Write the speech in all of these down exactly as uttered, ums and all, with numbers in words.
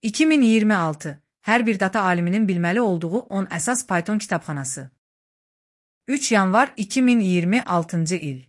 iki min iyirmi altı. Hər bir data aliminin bilməli olduğu on əsas Python kitabxanası. üç yanvar iki min iyirmi altıncı il.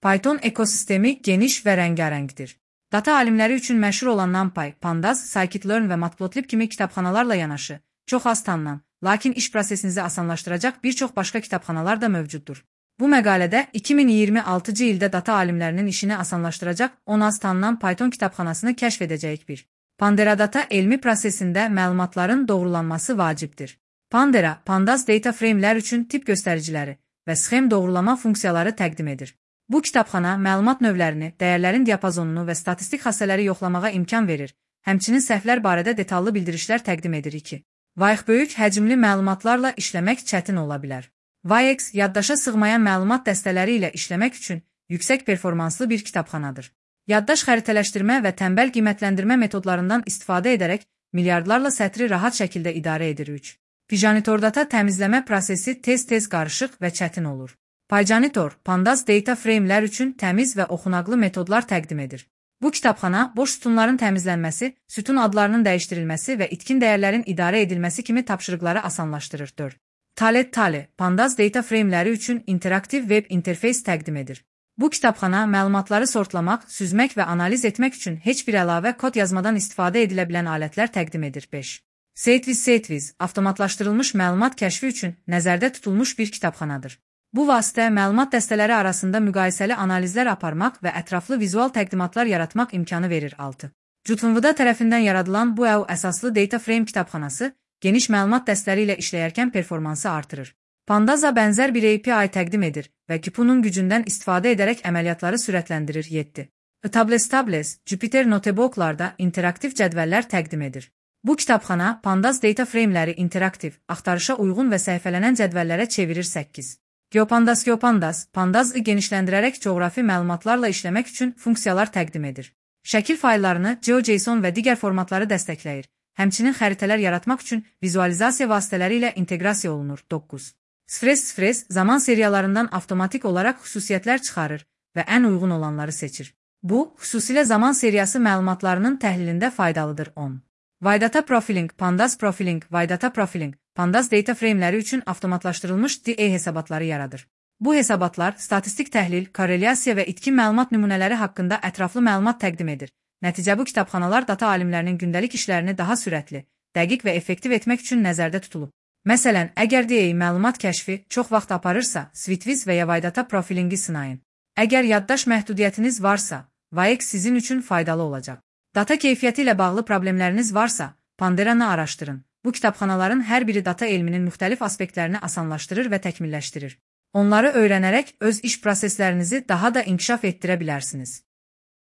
Python ekosistemi geniş və rəngarəngdir. Data alimləri üçün məşhur olan NumPy, Pandas, Scikit-learn və Matplotlib kimi kitabxanalarla yanaşı, çox az tanınan, lakin iş prosesinizi asanlaşdıracaq bir çox başqa kitabxanalar da mövcuddur. Bu məqalədə iki min iyirmi altıncı ildə data alimlərinin işini asanlaşdıracaq on az tanınan Python kitabxanasını kəşf edəcəyik bir. Pandera data elmi prosesində məlumatların doğrulanması vacibdir. Pandera, Pandas data frame'lər üçün tip göstəriciləri və sxem doğrulama funksiyaları təqdim edir. Bu kitabxana məlumat növlərini, dəyərlərin diapazonunu və statistik xassələri yoxlamağa imkan verir, həmçinin səhvlər barədə detallı bildirişlər təqdim edir ki, vayıq böyük həcmli məlumatlarla işləmək çətin ola bilər. Vayex, yaddaşa sığmayan məlumat dəstələri ilə işləmək üçün yüksək performanslı bir kitabxanadır. Yaddaş xəritələşdirmə və tənbəl qiymətləndirmə metodlarından istifadə edərək milyardlarla sətri rahat şəkildə idarə edir. üç. Pyjanitor data təmizləmə prosesi tez-tez qarışıq və çətin olur. Pyjanitor, Pandas data frame'lər üçün təmiz və oxunaqlı metodlar təqdim edir. Bu kitabxana boş sütunların təmizlənməsi, sütun adlarının dəyişdirilməsi və itkin dəyərlərin idarə edilməsi kimi tapşırıqları asanlaşdırır. dörd. Talet Tale, Pandas data frame'ləri üçün interaktiv web interfeys təqdim edir. Bu kitabxana məlumatları sortlamaq, süzmək və analiz etmək üçün heç bir əlavə kod yazmadan istifadə edilə bilən alətlər təqdim edir. beş. Setviz Setviz, avtomatlaşdırılmış məlumat kəşfi üçün nəzərdə tutulmuş bir kitabxanadır. Bu vasitə məlumat dəstələri arasında müqayisəli analizlər aparmaq və ətraflı vizual təqdimatlar yaratmaq imkanı verir. altı. Jutunvuda tərəfindən yaradılan bu əv əsaslı data frame kitabxanası geniş məlumat dəstələri ilə işləyərkən performansı artırır. Pandaza bənzər bir A P I təqdim edir və Kipunun gücündən istifadə edərək əməliyyatları sürətləndirir. yeddi. Tables Tables, Jupyter Notebooklarda interaktiv cədvəllər təqdim edir. Bu kitabxana Pandas data frame'ləri interaktiv, axtarışa uyğun və səhifələnən cədvəllərə çevirir. səkkiz. GeoPandas GeoPandas, Pandazı genişləndirərək coğrafi məlumatlarla işləmək üçün funksiyalar təqdim edir. Şəkil fayllarını, GeoJSON və digər formatları dəstəkləyir. Həmçinin xəritələr yaratmaq üçün vizualizasiya vasitələri ilə inteqrasiya olunur. doqquz. Sfres Sfres, zaman seriyalarından avtomatik olaraq xüsusiyyətlər çıxarır və ən uyğun olanları seçir. Bu, xüsusilə zaman seriyası məlumatlarının təhlilində faydalıdır. on. Vaydata Profiling, Pandas Profiling, Vaydata Profiling, Pandas data frame'ləri üçün avtomatlaşdırılmış D A hesabatları yaradır. Bu hesabatlar statistik təhlil, korrelyasiya və itkin məlumat nümunələri haqqında ətraflı məlumat təqdim edir. Nəticə bu kitabxanalar data alimlərinin gündəlik işlərini daha sürətli, dəqiq və effektiv etmək üçün nəzərdə tutulub. Məsələn, əgər D A məlumat kəşfi çox vaxt aparırsa, Switviz və ya Vaydata Profilingi sınayın. Əgər yaddaş məhdudiyyətiniz varsa, Vayex sizin üçün faydalı olacaq. Data keyfiyyəti ilə bağlı problemləriniz varsa, Panderanı araşdırın. Bu kitabxanaların hər biri data elminin müxtəlif aspektlərini asanlaşdırır və təkmilləşdirir. Onları öyrənərək öz iş proseslərinizi daha da inkişaf etdirə bilərsiniz.